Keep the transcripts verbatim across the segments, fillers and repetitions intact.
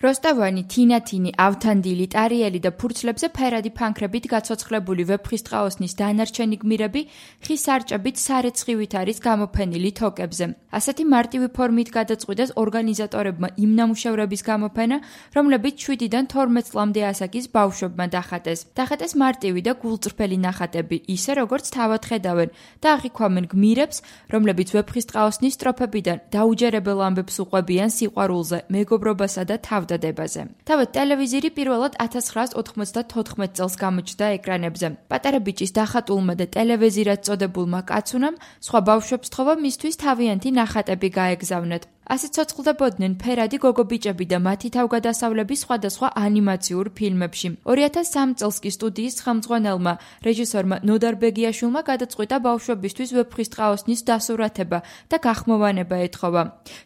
როსტოვანი, თინათინი, ავთანდილი, ტარიელი და ფურცლებზე ფერადი ფანქრებით გაცოცხლებული ვეფხისტყაოსნის დანარჩენი გმირები ხის სარჭებით სარეცხივით არის გამოფენილი თოკებზე. ასეთი მარტივი ფორმით გადაწყვიტეს ორგანიზატორებმა იმ ნამუშევრების გამოფენა, რომლებიც შვიდიდან თორმეტ წლამდე ასაკის ბავშვებმა დახატეს. დახატეს მარტივი და გულწრფელი ნახატები, ისე როგორც თავად ხედავენ და აღიქვამენ გმირებს, რომლებიც ვეფხისტყაოსნის სტროფებიდან დაუჯერებელ ამბებს უყვებიან სიყვარულზე, მეგობრობასა და თავ თავად ტელევიზორი პირველად ათას ცხრაას ოთხმოცდათოთხმეტ წელს გამოჩნდა ეკრანებზე. პატარა ბიჭის დახატულმა და ტელევიზორად წოდებულმა კაცუნამ სხვა ბავშვებს თხოვა მისთვის თავიანთი ნახატები გაეგზავნათ. ასე ცოცხლდებოდნენ ფერადი გოგო-ბიჭები და მათი თავგადასავლები სხვადასხვა ანიმაციურ ფილმებში. ორი ათას სამი წელს კი სტუდიის ხელმძღვანელმა რეჟისორმა ნოდარ ბეგიაშვილმა გადაწყვიტა ბავშვებისთვის ვეფხისტყაოსნის დასურათება და გახმოვანება ეთხოვა.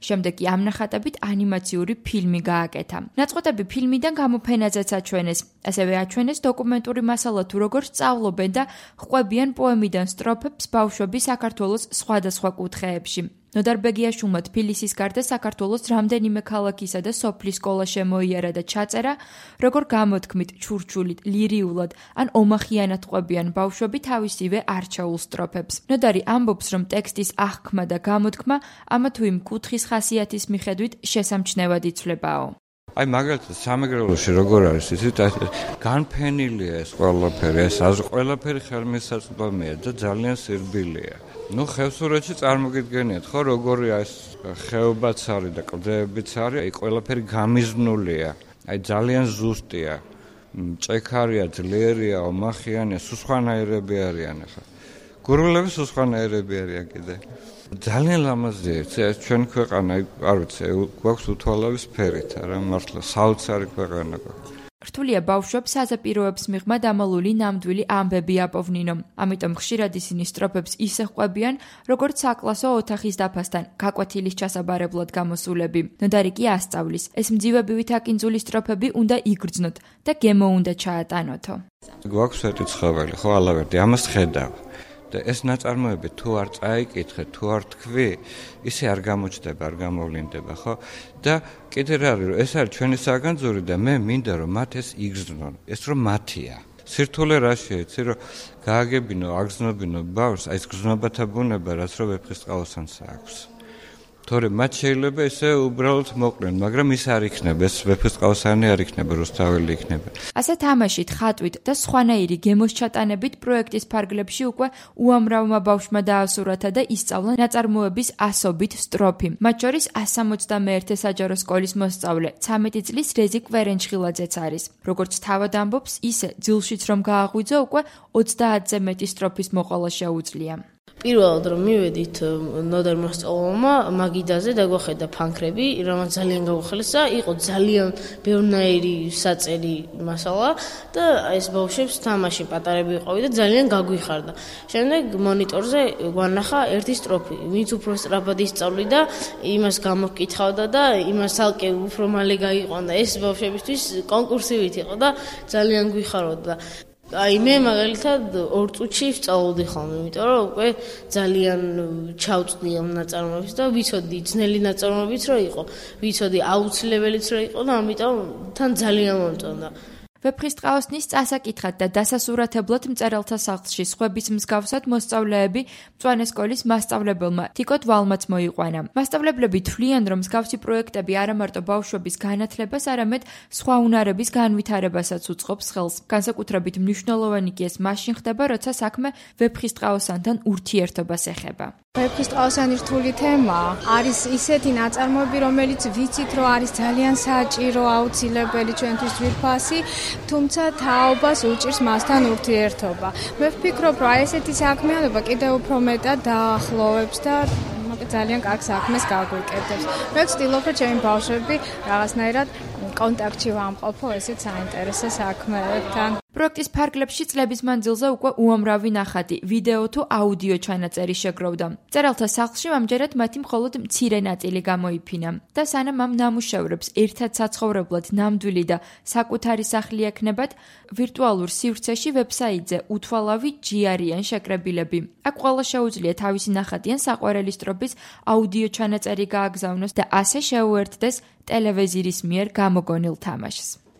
შემდეგ კი ამ ნახატებით ანიმაციური ფილმი გააკეთა. ნაწყვეტები ფილმიდან გამოფენაზეც აჩვენეს. ასევე აჩვენეს დოკუმენტური მასალა თუ როგორ სწავლობენ და ხვყვებიან პოემიდან სტროფებს ბავშვები საქართველოს სხვადასხვა კუთხეებში. ნოდარ ბეგიაშვილმა თბილისის გარდა საქართველოს რამდენიმე ქალაქისა და სოფლის სკოლა შემოიარა და ჩაწერა, როგორ გამოთქმით, ჩურჩულით, ლირიულად ან ომახიანად ყვებიან ბავშვები თავისივე არჩეულ სტროფებს. ნოდარი ამბობს, რომ ტექსტის აღქმა და გამოთქმა ამა თუ იმ კუთხის ხასიათის მიხედვით შესამჩნევად იცვლებაო. აი მაგალითად სამეგრელოში როგორ არის იცით განფენილია ეს ყველაფერი, ეს ყველაფერი ხელმისაწვდომია და ძალიან სირბილია. ნუ ხევსურეთში წარმოგიდგენიათ ხო როგორია ეს ხეობაც არის და კლდეებიც არის, აი ყველაფერი გამიზნულია. აი ძალიან ზუსტია. მჭექარია, ძლიერია, ომახიანია, სუსხანაერები არიან ახლა. გურულები სუსხანაერები არიან კიდე. ძალიან ლამაზია, ეს ჩვენ ქვეყანა, არ ვიცი, გვაქვს უთვალავის ფერით, არა მართლა საოცარი ქვეყანა გვაქვს. რთულია ბავშვებს საზაპიროებს მიღმა დამალული ნამდვილი ამბები აპოვნინო. ამიტომ ხშირად ისინი სტროფებს ისე ყვებიან, როგორც საკლასო ოთახის დაფასთან, გაკვეთილის ჩასაბარებლად გამოსულები. ნოდარი კი ასწავლის. ეს მძივებივით აკინძული სტროფები უნდა იგრძნოთ და გემო უნდა ჩაატანოთო. გვაქვს ერთი ცხოველი, ხო ალავერდი, ამას ხედავ. და ეს ნაწარმოები თუ არ წაიკითხე, თუ არ თქვი, ისე არ გამოჩნდება, არ გამოვლინდება, ხო? და კიდე რა არის, რომ ეს არის ჩვენი საგანძური და მე მინდა რომ მათ ეს იგრძნონ. ეს რომ მათია. სირთულე რაშია, იცი რომ გააგებინო, აგზნობინო ბავშვს, აი ეს გზნობათა ბუნება, რაც რომ ვეფხისტყაოსანს აქვს. თორე მათ შეიძლება ესე უბრალოდ მოყრენ, მაგრამ ის არ იქნება, ეს ვეფხისტყაოსანი არ იქნება, რუსთაველი იქნება. ასე თამაშით, ხატვით და სხვანაირი გემოს ჩატანებით პროექტის ფარგლებში უკვე უამრავმა ბავშვმა დაასურათა და ისწავლა ნაწარმოების ასობით სტროფი. მათ შორის ას სამოცდამეერთე საჯარო სკოლის მოსწავლე, ცამეტი წლის რეზიკ ვერენჩხილაძეც არის. როგორც თავად ამბობს, ისე ძილშიც რომ გააღვიძო, უკვე ოცდაათზე მეტი სტროფის მოყოლა შეუძლია. პირველად რომ მივედით ნოდარ მოსწავლემა მაგიდაზე დაგვახედა ფანქრები, რომელიც ძალიან გაუხელესა, იყო ძალიან ბევრნაირი საწერი მასალა და ეს ბავშვებს თამაში პატარები ვიყავი და ძალიან გაგვიხარდა. შემდეგ მონიტორზე გვანახა ერთი სტროფი, ვინც უფრო სწრაფად ისწავლიდა, იმას გამოვკითხავდა და იმას ალკე უფრო მალე გაიყვანდა. ეს ბავშვებისთვის კონკურსივით იყო და ძალიან გვიხაროდა. აი მე მაგალითად ორ წუთში ვსწავლობდი ხოლმე, იმიტომ რომ უკვე ძალიან ჩავწვდი ამ ნაწარმოებს და ვიცოდი ძნელი ნაწარმოებიც რო იყო, ვიცოდი აუცილებელიც რო იყო და ამიტომ თან ძალიან მომწონდა. ვეფხისტყაოსნის წასაკითხად და დასასურათებლად მწერალთა სახლში სხვების მსგავსად მოსწავლეები მწვანე სკოლის მასწავლებელმა თიკოთ ვალმაც მოიყვანა. მასწავლებლები თვლიან, რომ მსგავსი პროექტები არა მარტო ბავშვების განათლებას, არამედ სხვა უნარების განვითარებასაც უწყობს ხელს. განსაკუთრებით მნიშვნელოვანი კი ეს მაშინ ხდება, როცა საქმე ვეფხისტყაოსანთან ურთიერთობას ეხება. ვეფხისტყაოსანი რთული თემაა. არის ისეთი ნაწარმოები, რომელიც ვიცით, რომ არის ძალიან საჭირო, აუცილებელი ჩვენთვის ძვირფასი, თუმცა თაობას უჭირს მასთან ურთიერთობა. მე ვფიქრობ, რომ ესეთი საქმიანობა კიდევ უფრო მეტად დაახლოვებს და ძალიან კარგ საქმეს გაგვიკეთებს. მე ვცდილობ, რომ ჩემი ბავშვები რაღაცნაირად კონტაქტში ვამყოფო ესეთ საინტერესო საქმეებთან. პროექტის ფარგლებში წლების მანძილზე უკვე უამრავი ნახატი, ვიდეო თუ აუდიო ჩანაწერი შეგროვდა. მწერალთა სახლში ამჯერად მათი მხოლოდ მცირე ნაწილი გამოიფინა და სანამ ამ ნამუშევრებს ერთად საცხოვრებლად ნამდვილი და საკუთარი სახლი ექნებათ, ვირტუალურ სივრცეში ვებსაიტზე უთვალავი ჯი არიან შეკრებილები. აქ ყველა შეუძლია თავისი ნახატი ან საყვარელი სტროფის აუდიო ჩანაწერი გააგზავნოს და ასე შეუერთდეს ტელევიზიის მიერ გამოგონილ თამაშს.